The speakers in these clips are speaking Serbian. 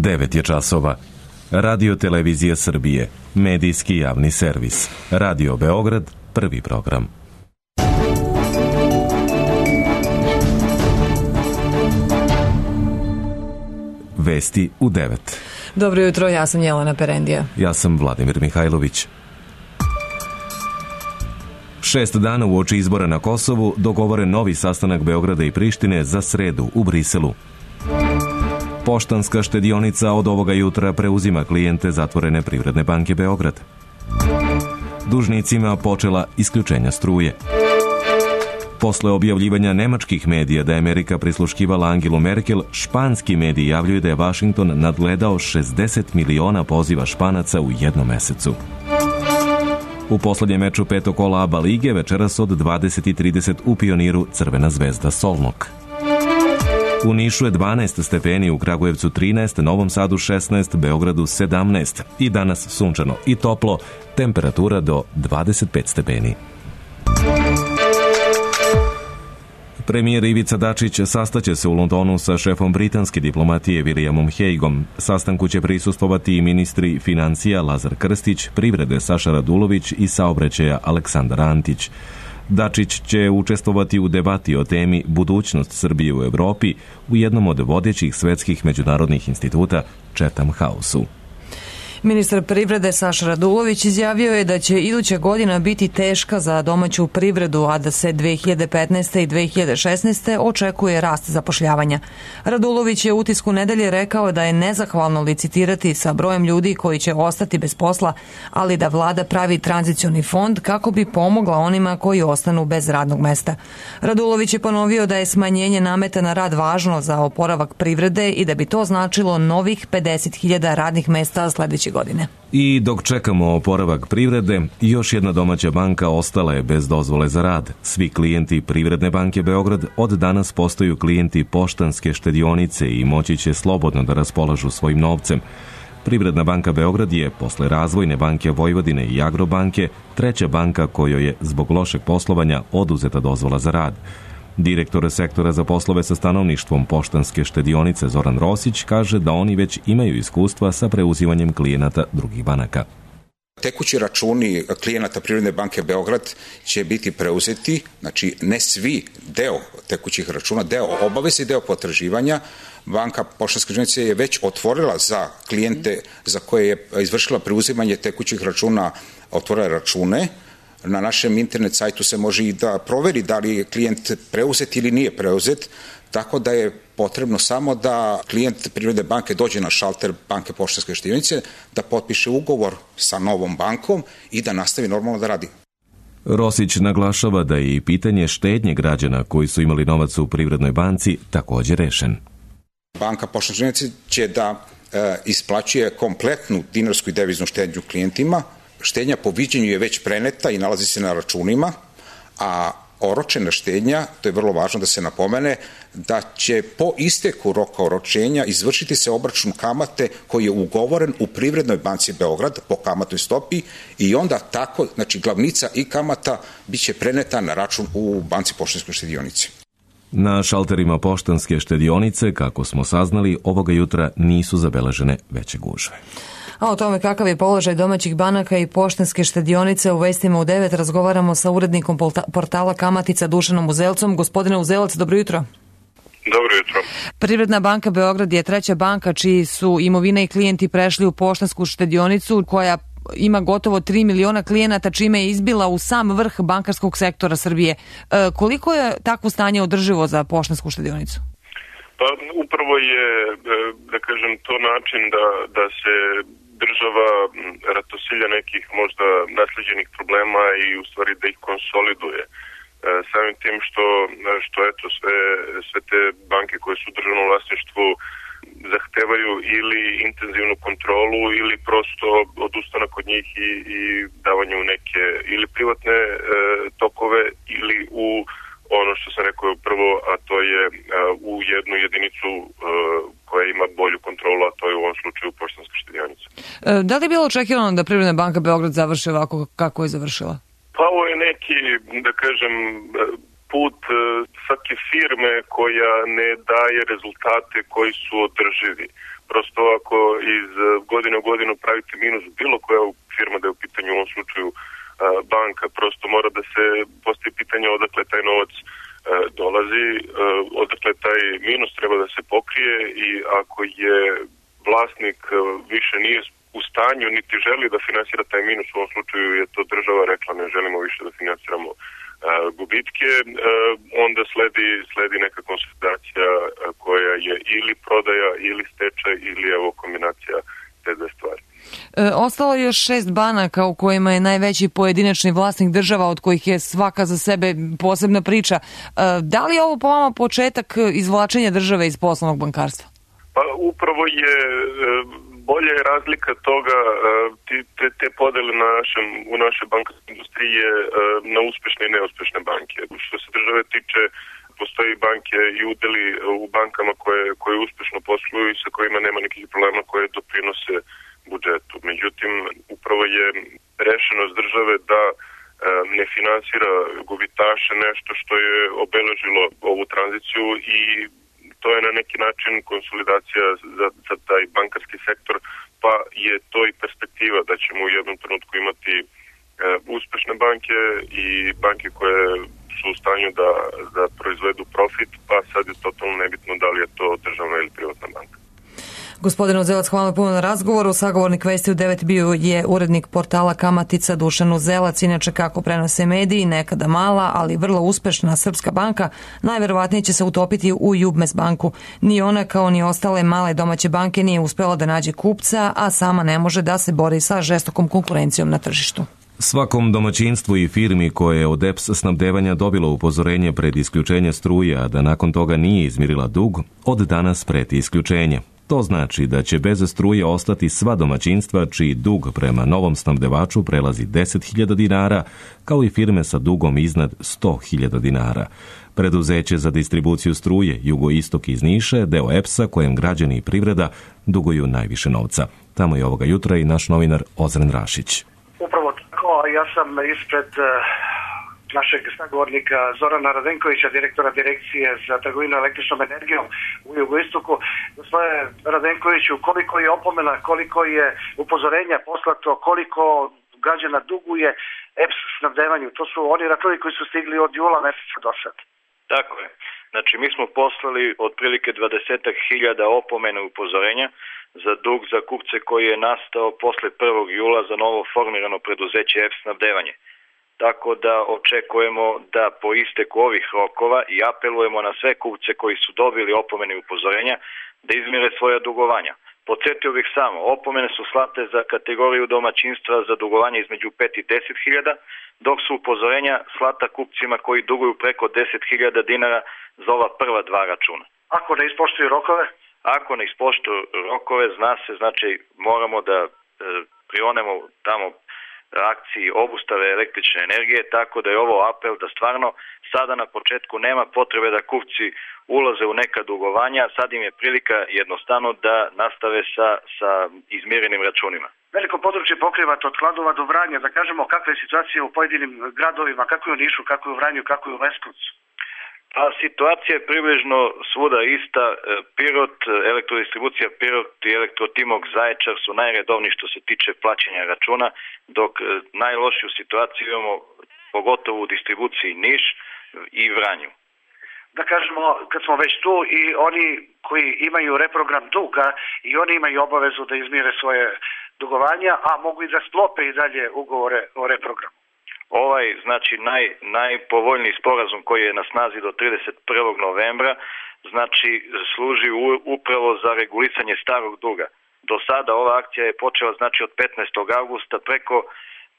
9 je časova. Radio Televizija Srbije, medijski javni servis. Radio Beograd, prvi program. Vesti u 9. Dobro jutro, ja sam Jelena Perendija. Ja sam Vladimir Mihajlović. 6 dana uoči izbora na Kosovu dogovoren novi sastanak Beograda i Prištine za sredu u Briselu. Poštanska štedionica od ovoga jutra preuzima klijente zatvorene Privredne banke Beograd. Dužnicima počela isključenja struje. Posle objavljivanja nemačkih medija da je Amerika prisluškivala Angelu Merkel, španski mediji javljaju da je Vašington nadgledao 60 miliona poziva Španaca u jednom mesecu. U poslednjem meču petog kola ABA lige večeras od 20:30 u Pioniru Crvena zvezda Solnok. U Nišu je 12 stepeni, u Kragujevcu 13, Novom Sadu 16, Beogradu 17. I danas sunčano i toplo, temperatura do 25 stepeni. Premijer Ivica Dačić sastaće se u Londonu sa šefom britanske diplomatije Williamom Hagueom. Sastanku će prisustvovati i ministri financija Lazar Krstić, privrede Saša Radulović i saobraćaja Aleksandar Antić. Dačić će učestvovati u debati o temi budućnost Srbije u Evropi u jednom od vodećih svetskih međunarodnih instituta Chatham House-u. Ministar privrede Saša Radulović izjavio je da će iduća godina biti teška za domaću privredu, a da se 2015. i 2016. očekuje rast zapošljavanja. Radulović je u Utisku nedelje rekao da je nezahvalno licitirati sa brojem ljudi koji će ostati bez posla, ali da vlada pravi tranzicioni fond kako bi pomogla onima koji ostanu bez radnog mesta. Radulović je ponovio da je smanjenje nameta na rad važno za oporavak privrede i da bi to značilo novih 50.000 radnih mesta sledeće godine. I dok čekamo oporavak privrede, još jedna domaća banka ostala je bez dozvole za rad. Svi klijenti Privredne banke Beograd od danas postaju klijenti Poštanske štedionice i moći će slobodno da raspolažu svojim novcem. Privredna banka Beograd je, posle Razvojne banke Vojvodine i Agrobanke, treća banka kojoj je zbog lošeg poslovanja oduzeta dozvola za rad. Direktor sektora za poslove sa stanovništvom Poštanske štedionice Zoran Rosić kaže da oni već imaju iskustva sa preuzimanjem klijenata drugih banaka. Tekući računi klijenata Privredne banke Beograd će biti preuzeti, znači ne svi, deo tekućih računa, deo obaveze i deo potraživanja. Banka Poštanske štedionice je već otvorila za klijente za koje je izvršila preuzimanje tekućih računa, otvorila račune. Na našem internet sajtu se može i da proveri da li je klijent preuzet ili nije preuzet, tako da je potrebno samo da klijent Privredne banke dođe na šalter banke Poštanske štedionice, da potpiše ugovor sa novom bankom i da nastavi normalno da radi. Rosić naglašava da je i pitanje štednje građana koji su imali novac u Privrednoj banci također rešen. Banka Poštanske štedionice će da isplaćuje kompletnu dinarsku i deviznu štednju klijentima. Štednja po viđenju je već preneta i nalazi se na računima, a oročena štednja, to je vrlo važno da se napomene, da će po isteku roka oročenja izvršiti se obračun kamate koji je ugovoren u Privrednoj banci Beograd po kamatnoj stopi i onda tako, znači glavnica i kamata biće preneta na račun u banci Poštanskoj štedionici. Na šalterima Poštanske štedionice, kako smo saznali, ovoga jutra nisu zabeležene veće gužve. A o tome kakav je položaj domaćih banaka i Poštanske štedionice u vestima u 9 razgovaramo sa urednikom portala Kamatica Dušanom Uzelcom. Gospodine Uzelac, dobro jutro. Dobro jutro. Privredna banka Beograd je treća banka čiji su imovina i klijenti prešli u Poštansku štedionicu koja ima gotovo 3 miliona klijenata, čime je izbila u sam vrh bankarskog sektora Srbije. Koliko je takvo stanje održivo za Poštansku štedionicu? Pa upravo je, da kažem, to način da se država ratosilja nekih možda nasleđenih problema i u stvari da ih konsoliduje. Samim tim što eto sve te banke koje su u državnom vlasništvu zahtevaju ili intenzivnu kontrolu ili prosto odustanak od njih i davanje u neke ili privatne tokove ili u ono što sam rekao prvo, a to je u jednu jedinicu koja ima bolju kontrolu, a to je u ovom slučaju Poštanska štedionica. Da li je bilo očekivano da Privredna banka Beograd završi ovako kako je završila? Pa ovo je neki, da kažem, put, svaki firme koja ne daje rezultate koji su održivi. Prosto ako iz godine u godinu pravite minus, bilo koja firma da je u pitanju, u ovom slučaju banka, prosto mora da se postavi pitanje odakle taj novac dolazi, odakle taj minus treba da se pokrije, i ako je vlasnik više nije u stanju niti želi da finansira taj minus, u ovom slučaju je to država rekla ne želimo više da finansiramo gubitke, onda sledi neka konsolidacija koja je ili prodaja ili stečaj ili evo kombinacija te dve stvari. Ostalo je još 6 banaka u kojima je najveći pojedinačni vlasnik država, od kojih je svaka za sebe posebna priča. Da li je ovo po vama početak izvlačenja države iz poslovnog bankarstva? Pa upravo je bolja je razlika toga, te podele u našoj bankarskoj industriji je na uspešne i neuspešne banke. Što se države tiče, postoji banke i udeli u bankama koje uspešno posluju i sa kojima nema nekih problema koje doprinose budžetu. Međutim, upravo je rešenost države da ne finansira gubitaše nešto što je obeležilo ovu tranziciju, i to je na neki način konsolidacija za taj bankarski sektor, pa je to i perspektiva da ćemo u jednom trenutku imati uspešne banke i banke koje su u stanju da proizvedu profit, pa sad je totalno nebitno da li je to državna ili privatna banka. Gospodin Uzelac, hvala puno na razgovoru. Sagovornik Vesti u 9 bio je urednik portala Kamatica Dušan Uzelac. Inače, kako prenose mediji, nekada mala, ali vrlo uspešna srpska banka najverovatnije će se utopiti u Jubmes banku. Ni ona kao ni ostale male domaće banke nije uspela da nađe kupca, a sama ne može da se bori sa žestokom konkurencijom na tržištu. Svakom domaćinstvu i firmi koje je od EPS snabdevanja dobilo upozorenje pred isključenje struje, a da nakon toga nije izmirila dug, od danas preti isključenje. To znači da će bez struje ostati sva domaćinstva čiji dug prema novom snabdevaču prelazi 10.000 dinara, kao i firme sa dugom iznad 100.000 dinara. Preduzeće za distribuciju struje Jugoistok iz Niša je deo EPS-a kojem građani i privreda duguju najviše novca. Tamo je ovoga jutra i naš novinar Ozren Rašić. Upravo tako, ja sam ispred našeg sagovornika Zorana Radenkovića, direktora Direkcije za trgovinu električnom energijom u Jugoistoku. Gospodine Radenkoviću, koliko je opomena, koliko je upozorenja poslato, koliko građana duguje EPS snabdevanju? To su oni računi koji su stigli od jula meseca do sad. Tako je. Znači, mi smo poslali otprilike 20.000 opomena upozorenja za dug za kupce koji je nastao posle 1. jula za novo formirano preduzeće EPS snabdevanje. Tako da očekujemo da po isteku ovih rokova i apelujemo na sve kupce koji su dobili opomene i upozorenja da izmire svoja dugovanja. Podsjetio bih samo, opomene su slate za kategoriju domaćinstva za dugovanje između 5 i 10.000, dok su upozorenja slata kupcima koji duguju preko 10.000 dinara za ova prva dva računa. Ako ne ispoštuju rokove? Ako ne ispoštuju rokove, zna se, znači moramo da prionemo tamo akciji obustave električne energije, tako da je ovo apel da stvarno sada na početku nema potrebe da kupci ulaze u neka dugovanja, sad im je prilika jednostavno da nastave sa izmirenim računima. Veliko područje pokrivate od Kladova do Vranja, da kažemo kakva je situacija u pojedinim gradovima, kako je u Nišu, kako je u Vranju, kako je u Leskovcu? A situacija je približno svuda ista. Pirot, elektrodistribucija Pirot i Elektrotimok Zaječar su najredovniji što se tiče plaćanja računa, dok najlošiju situaciju imamo pogotovo u distribuciji Niš i Vranju. Da kažemo, kad smo već tu, i oni koji imaju reprogram duga i oni imaju obavezu da izmire svoje dugovanja, a mogu i da sklope i dalje ugovore o reprogramu. Ovaj, znači, najpovoljniji sporazum koji je na snazi do 31. novembra, znači, služi upravo za regulisanje starog duga. Do sada ova akcija je počela, znači, od 15. avgusta,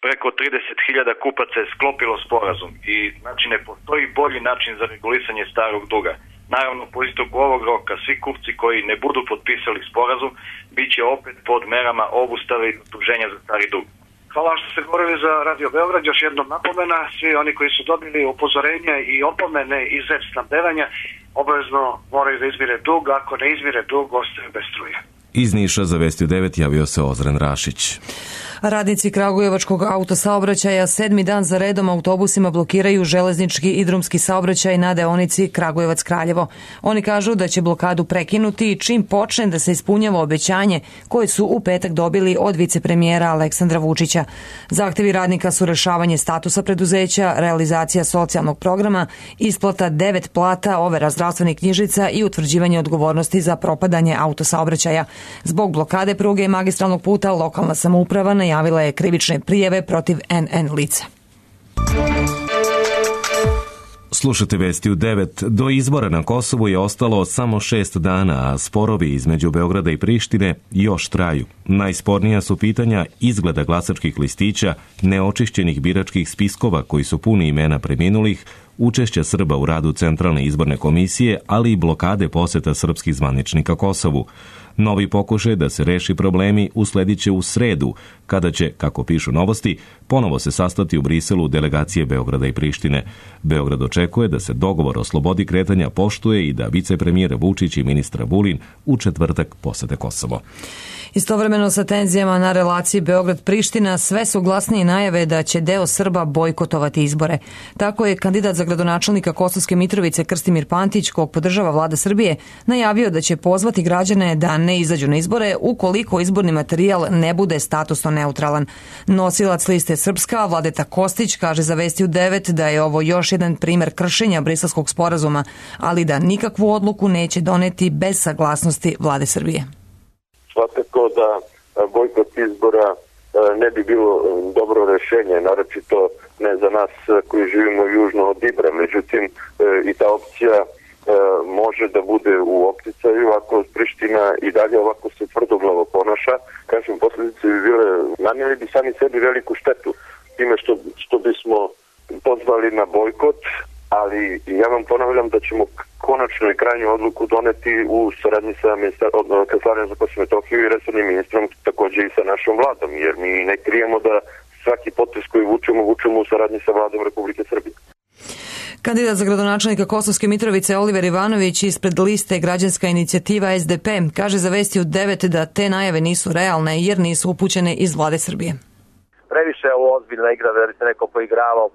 preko 30.000 kupaca je sklopilo sporazum i, znači, ne postoji bolji način za regulisanje starog duga. Naravno, po istoku ovog roka, svi kupci koji ne budu potpisali sporazum, bit će opet pod merama obustave i tuženja za stari dug. Hvala što ste govorili za Radio Beograd. Još jednom napomena, svi oni koji su dobili upozorenja i opomene iz EPS snabdevanja obavezno moraju da izmire dug, ako ne izmire dug, ostaju bez struje. Iz Niša za Vesti u 9 javio se Ozren Rašić. Radnici kragujevačkog autosaobraćaja 7. dan za redom autobusima blokiraju železnički i drumski saobraćaj na deonici Kragujevac-Kraljevo. Oni kažu da će blokadu prekinuti čim počne da se ispunjava obećanje koje su u petak dobili od vicepremijera Aleksandra Vučića. Zahtevi radnika su rešavanje statusa preduzeća, realizacija socijalnog programa, isplata 9 plata, overa zdravstvenih knjižica i utvrđivanje odgovornosti za propadanje autosaobraćaja. Zbog blokade pruge i magistralnog puta lokalna samouprava najavila je krivične prijave protiv NN lica. Slušate vesti u 9. Do izbora na Kosovu je ostalo samo 6 dana, a sporovi između Beograda i Prištine još traju. Najspornija su pitanja izgleda glasačkih listića, neočišćenih biračkih spiskova koji su puni imena preminulih, učešća Srba u radu Centralne izborne komisije, ali i blokade poseta srpskih zvaničnika Kosovu. Novi pokušaj da se reši problemi usledit će u sredu, kada će, kako pišu Novosti, ponovo se sastati u Briselu delegacije Beograda i Prištine. Beograd očekuje da se dogovor o slobodi kretanja poštuje i da vicepremijera Vučić i ministra Vulin u četvrtak posete Kosovo. Istovremeno sa tenzijama na relaciji Beograd-Priština sve su glasnije najave da će deo Srba bojkotovati izbore. Tako je kandidat za gradonačelnika Kosovske Mitrovice Krstimir Pantić, kog podržava vlada Srbije, najavio da će pozvati građane da ne izađu na izbore ukoliko izborni materijal ne bude statusno neutralan. Nosilac liste Srpska, Vladeta Kostić, kaže za Vesti u 9 da je ovo još jedan primer kršenja Briselskog sporazuma, ali da nikakvu odluku neće doneti bez saglasnosti vlade Srbije. Svakako da bojkot izbora ne bi bilo dobro rešenje, naročito ne za nas koji živimo južno od Ibra. Međutim, i ta opcija može da bude u opticaju ako Priština i dalje ovako se tvrdoglavo ponaša. Kažem, posljedice bi bile, nanijeli bi sami sebi veliku štetu time što bismo pozvali na bojkot, ali ja vam ponavljam da ćemo konačno i krajnju odluku doneti u saradnji sa Kancelarija za Kosovo i Metohiju i resornim ministrom, također i sa našom vladom, jer mi ne krijemo da svaki potez koji vučemo u saradnji sa vladom Republike Srbije. Kandidat za gradonačelnika Kosovske Mitrovice Oliver Ivanović ispred liste Građanska inicijativa SDP kaže za Vesti u 9 da te najave nisu realne jer nisu upućene iz vlade Srbije. Previše je ovo ozbiljna igra da bi se neko poigravao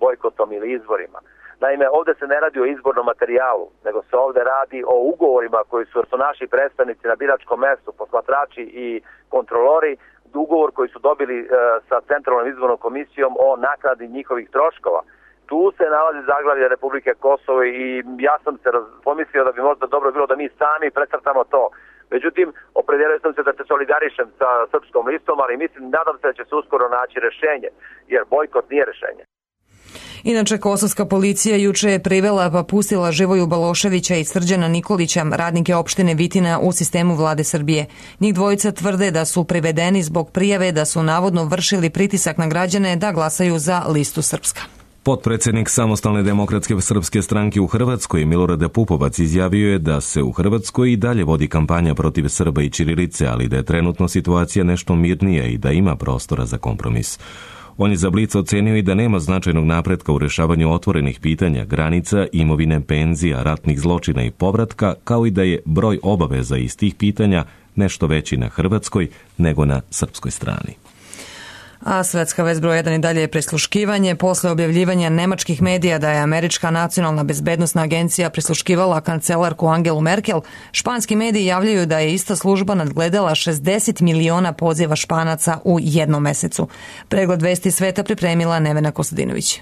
bojkotom ili izborima. Naime, ovdje se ne radi o izbornom materijalu, nego se ovdje radi o ugovorima koji su naši predstavnici na biračkom mestu, posmatrači i kontrolori, ugovor koji su dobili sa Centralnom izbornom komisijom o naknadi njihovih troškova. Tu se nalazi zaglavlje Republike Kosovo i ja sam se pomislio da bi možda dobro bilo da mi sami precrtamo to. Međutim, opredelio sam se da se solidarišem sa Srpskom listom, ali mislim, nadam se da će se uskoro naći rešenje, jer bojkot nije rešenje. Inače, kosovska policija juče je privela pa pustila Živoju Baloševića i Srđana Nikolića, radnike opštine Vitina u sistemu vlade Srbije. Njih dvojica tvrde da su privedeni zbog prijave da su navodno vršili pritisak na građane da glasaju za listu Srpska. Potpredsjednik Samostalne demokratske srpske stranke u Hrvatskoj Milorad Pupovac izjavio je da se u Hrvatskoj i dalje vodi kampanja protiv Srba i ćirilice, ali da je trenutno situacija nešto mirnija i da ima prostora za kompromis. On je za Blic ocenio i da nema značajnog napretka u rešavanju otvorenih pitanja, granica, imovine, penzija, ratnih zločina i povratka, kao i da je broj obaveza iz tih pitanja nešto veći na hrvatskoj nego na srpskoj strani. A svetska vest broj 1 i dalje je prisluškivanje. Posle objavljivanja nemačkih medija da je Američka nacionalna bezbednosna agencija prisluškivala kancelarku Angelu Merkel, španski mediji javljaju da je ista služba nadgledala 60 miliona poziva Španaca u jednom mesecu. Pregled vesti sveta pripremila Nevena Kostadinović.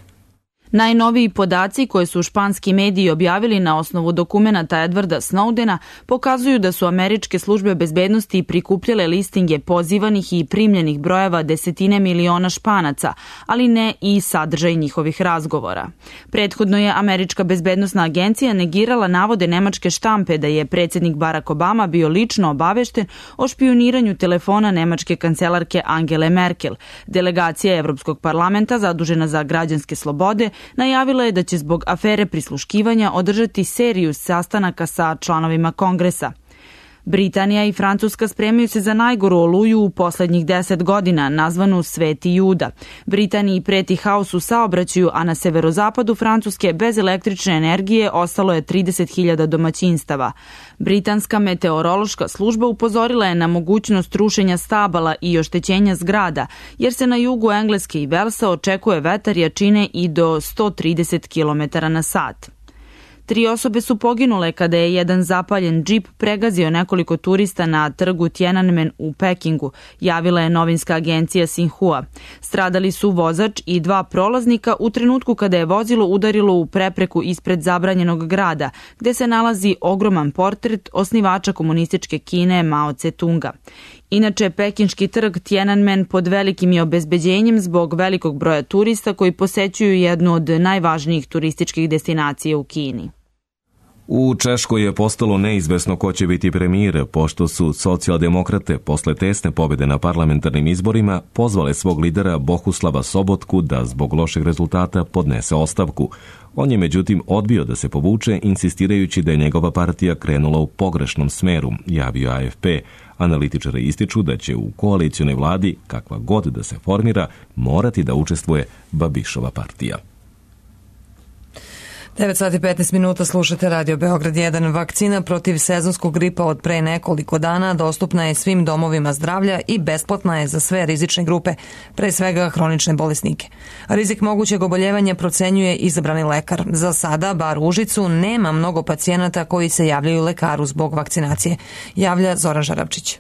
Najnoviji podaci koje su španski mediji objavili na osnovu dokumenata Edwarda Snowdena pokazuju da su američke službe bezbednosti prikupljale listinge pozivanih i primljenih brojeva desetine miliona Španaca, ali ne i sadržaj njihovih razgovora. Prethodno je Američka bezbednosna agencija negirala navode nemačke štampe da je predsjednik Barack Obama bio lično obavešten o špijuniranju telefona nemačke kancelarke Angele Merkel. Delegacija Evropskog parlamenta zadužena za građanske slobode najavila je da će zbog afere prisluškivanja održati seriju sastanaka sa članovima Kongresa. Britanija i Francuska spremaju se za najgoru oluju u poslednjih 10 godina, nazvanu Sveti Juda. Britaniji preti haos u saobraćaju, a na severozapadu Francuske bez električne energije ostalo je 30.000 domaćinstava. Britanska meteorološka služba upozorila je na mogućnost rušenja stabala i oštećenja zgrada, jer se na jugu Engleske i Velsa očekuje vetar jačine i do 130 km/h. 3 osobe su poginule kada je jedan zapaljen džip pregazio nekoliko turista na trgu Tiananmen u Pekingu, javila je novinska agencija Xinhua. Stradali su vozač i 2 prolaznika u trenutku kada je vozilo udarilo u prepreku ispred zabranjenog grada, gde se nalazi ogroman portret osnivača komunističke Kine Mao Tse-tunga. Inače, pekinški trg Tiananmen pod velikim je obezbeđenjem zbog velikog broja turista koji posećuju jednu od najvažnijih turističkih destinacija u Kini. U Češkoj je postalo neizvesno ko će biti premijer, pošto su socijaldemokrate posle tesne pobjede na parlamentarnim izborima pozvale svog lidera Bohuslava Sobotku da zbog lošeg rezultata podnese ostavku. On je međutim odbio da se povuče, insistirajući da je njegova partija krenula u pogrešnom smeru, javio AFP. Analitičari ističu da će u koalicionoj vladi, kakva god da se formira, morati da učestvuje Babišova partija. 9:15 slušate Radio Beograd 1. Vakcina protiv sezonskog gripa od pre nekoliko dana dostupna je svim domovima zdravlja i besplatna je za sve rizične grupe, pre svega hronične bolesnike. Rizik mogućeg oboljevanja procenjuje izabrani lekar. Za sada, bar u Užicu, nema mnogo pacijenata koji se javljaju lekaru zbog vakcinacije, javlja Zoran Žarabčić.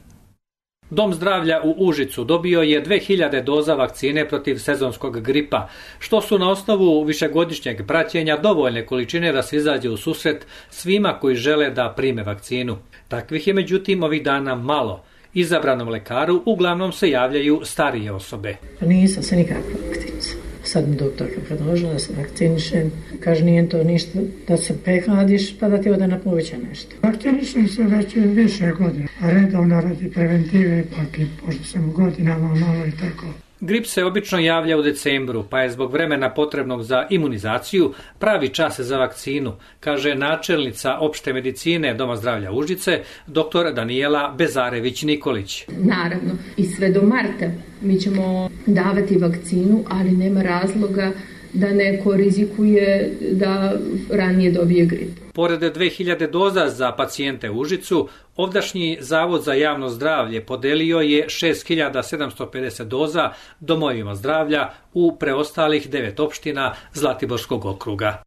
Dom zdravlja u Užicu dobio je 2000 doza vakcine protiv sezonskog gripa, što su na osnovu višegodišnjeg praćenja dovoljne količine da se izađe u susret svima koji žele da prime vakcinu. Takvih je međutim ovih dana malo. Izabranom lekaru uglavnom se javljaju starije osobe. Nisam se nikako vakcinisala. Sad mi doktorka predložila da se vakcinišem. Kaže, nije to ništa da se prehladiš pa da ti ode na pluća nešto. Vakcinišem se već više godina, a redovno radi preventive, ipak i pošto sam u godinama malo i tako. Grip se obično javlja u decembru, pa je zbog vremena potrebnog za imunizaciju pravi čas za vakcinu, kaže načelnica opšte medicine Doma zdravlja Užice, dr. Danijela Bezarević-Nikolić. Naravno, i sve do marta mi ćemo davati vakcinu, ali nema razloga da neko rizikuje da ranije dobije grip. Pored 2000 doza za pacijente u Užicu, ovdašnji Zavod za javno zdravlje podelio je 6750 doza domovima zdravlja u preostalih 9 opština Zlatiborskog okruga.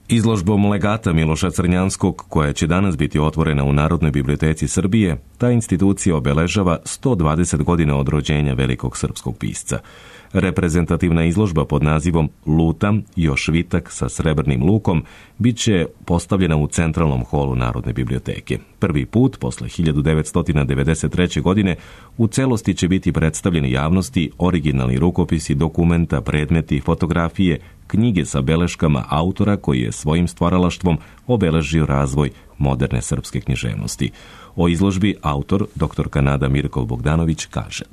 Izložbom legata Miloša Crnjanskog, koja će danas biti otvorena u Narodnoj biblioteci Srbije, ta institucija obeležava 120 godina od rođenja velikog srpskog pisca. Reprezentativna izložba pod nazivom Lutam, još vitak sa srebrnim lukom, bit će postavljena u centralnom holu Narodne biblioteke. Prvi put, posle 1993. godine, u celosti će biti predstavljeni javnosti originalni rukopisi, dokumenta, predmeti, fotografije, knjige sa beleškama autora koji je svojim stvaralaštvom obeležio razvoj moderne srpske književnosti. O izložbi autor, dr. Nada Mirkov Bogdanović, kaže: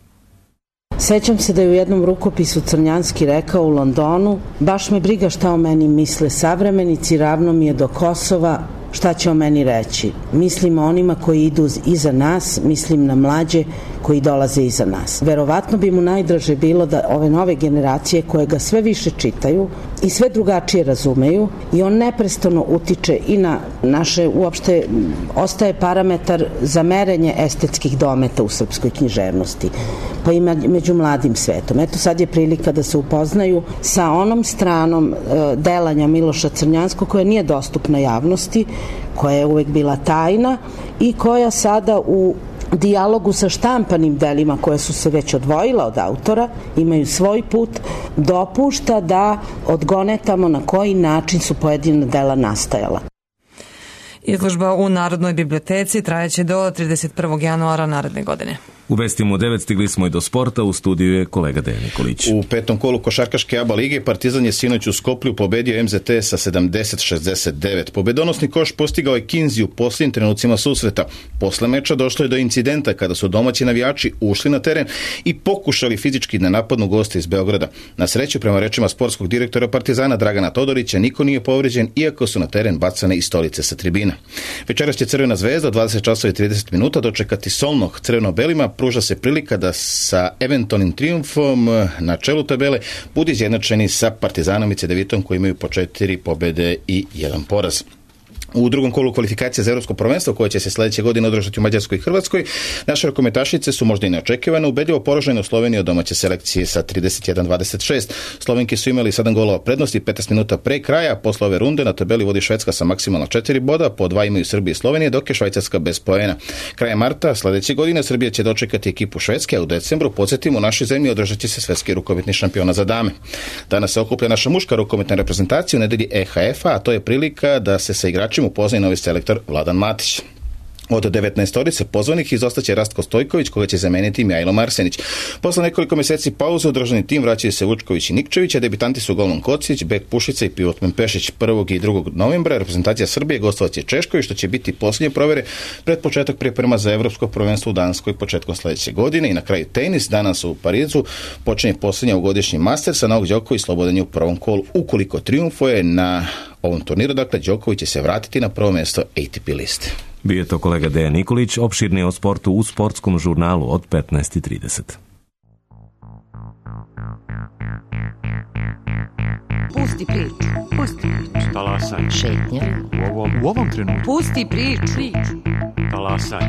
Sećam se da je u jednom rukopisu Crnjanski rekao u Londonu: baš me briga šta o meni misle savremenici, ravno mi je do Kosova šta će o meni reći. Mislim o onima koji idu iza nas, mislim na mlađe koji dolaze iza nas. Verovatno bi mu najdraže bilo da ove nove generacije koje ga sve više čitaju i sve drugačije razumeju, i on neprestano utiče i na naše, uopšte ostaje parametar za merenje estetskih dometa u srpskoj književnosti, pa i među mladim svetom. Eto, sad je prilika da se upoznaju sa onom stranom delanja Miloša Crnjanskog koja nije dostupna javnosti, koja je uvek bila tajna i koja sada u dijalogu sa štampanim delima koje su se već odvojila od autora, imaju svoj put, dopušta da odgonetamo na koji način su pojedina dela nastajala. Izložba u Narodnoj biblioteci trajaće do 31. januara naredne godine. U vestima u 9 stigli smo i do sporta, u studiju je kolega Dejan Nikolić. U petom kolu košarkaške ABA lige Partizan je sinoć u Skoplju pobedio MZT sa 70-69. Pobedonosni koš postigao je Kinzi u posljednjim trenucima susreta. Posle meča došlo je do incidenta kada su domaći navijači ušli na teren i pokušali fizički da napadnu goste iz Beograda. Na sreću, prema rečima sportskog direktora Partizana Dragana Todorića, niko nije povređen, iako su na teren bacane i stolice sa tribina. Večeras će Crvena zvezda od 20:30 dočekati Solnog. Crveno-belima pruža se prilika da sa eventualnim trijumfom na čelu tabele budu izjednačeni sa Partizanom i Cedevitom koji imaju po 4 pobjede i 1 poraz. U drugom kolu kvalifikacija za Evropsko prvenstvo koje će se sljedeće godine održati u Mađarskoj i Hrvatskoj, naše rukometašice su možda i neočekivane ubedljivo poražene u Sloveniji od domaće selekcije sa 31-26. Slovenke su imali 7 golova prednosti 15 minuta pre kraja. Posle ove runde na tabeli vodi Švedska sa maksimalno 4 boda, po 2 imaju Srbija i Slovenija, dok je Švajcarska bez poena. Krajem marta sljedeće godine Srbija će dočekati ekipu Švedske, a u decembru, podsjetimo, u našoj zemlji održat će se svetski rukometni šampiona za dame. Danas se okuplja naša muška rukometna reprezentacija u nedelji EHF-a, a to je prilika da se sa igračima upoznaje novi selektor Vladan Matić. Od 19 pozvanih izostaće Rastko Stojković, koga će zameniti Mihajlo Marsenić. Posle nekoliko mjeseci pauze u državni tim vraćaju se Vučković i Nikčević, a debitanti su Golman Kocić, Bek Pušica i Pivotman Pešić. 1. i 2. novembra reprezentacija Srbije gostovaće Češkoj, što će biti posljednje provere pred početak priprema za Evropsko prvenstvo u Danskoj početkom sljedeće godine. I na kraju tenis. Danas u Parizu počinje posljednja ovogodišnji Masters, a Novak Đoković slobodan je u prvom kolu. Ukoliko triumfuje na ovom turniru, dakle, Đoković će se vratiti na prvo mjesto ATP liste. Bio je to kolega Dejan Nikolić, opširnije o sportu u sportskom žurnalu od 15:30. Pusti priču. Pusti priču. Talasaj. Šetnja. U ovom trenutku. Pusti priču. Talasaj.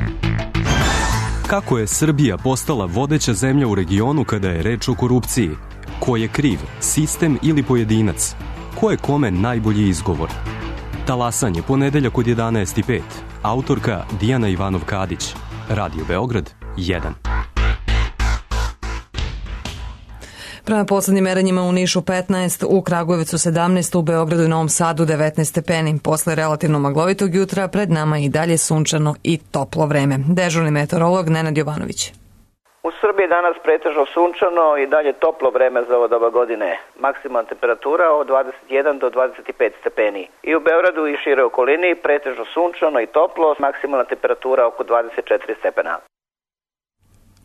Kako je Srbija postala vodeća zemlja u regionu kada je reč o korupciji? Ko je kriv, sistem ili pojedinac? Ko je kome najbolji izgovor? Talasanje, ponedeljak od 11:05. Autorka Dijana Ivanov-Kadić. Radio Beograd 1. Prema poslednjim merenjima u Nišu 15, u Kragujevcu 17, u Beogradu i Novom Sadu 19 stepeni. Posle relativno maglovitog jutra pred nama i dalje sunčano i toplo vreme. Dežurni meteorolog Nenad Jovanović. U Srbiji danas pretežno sunčano i dalje toplo vreme za ovo doba godine. Maksimalna temperatura od 21 do 25 stepeni. I u Beogradu i šire okolini pretežno sunčano i toplo, maksimalna temperatura oko 24 stepena.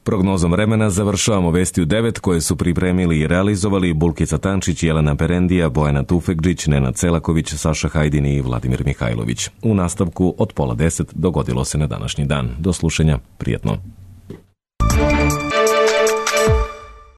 Prognozom vremena završavamo vesti u 9 koje su pripremili i realizovali Bulkica Tančić, Jelena Perendija, Bojana Tufekđić, Nenad Celaković, Saša Hajdin i Vladimir Mihajlović. U nastavku od 9:30 dogodilo se na današnji dan. Do slušanja, prijetno.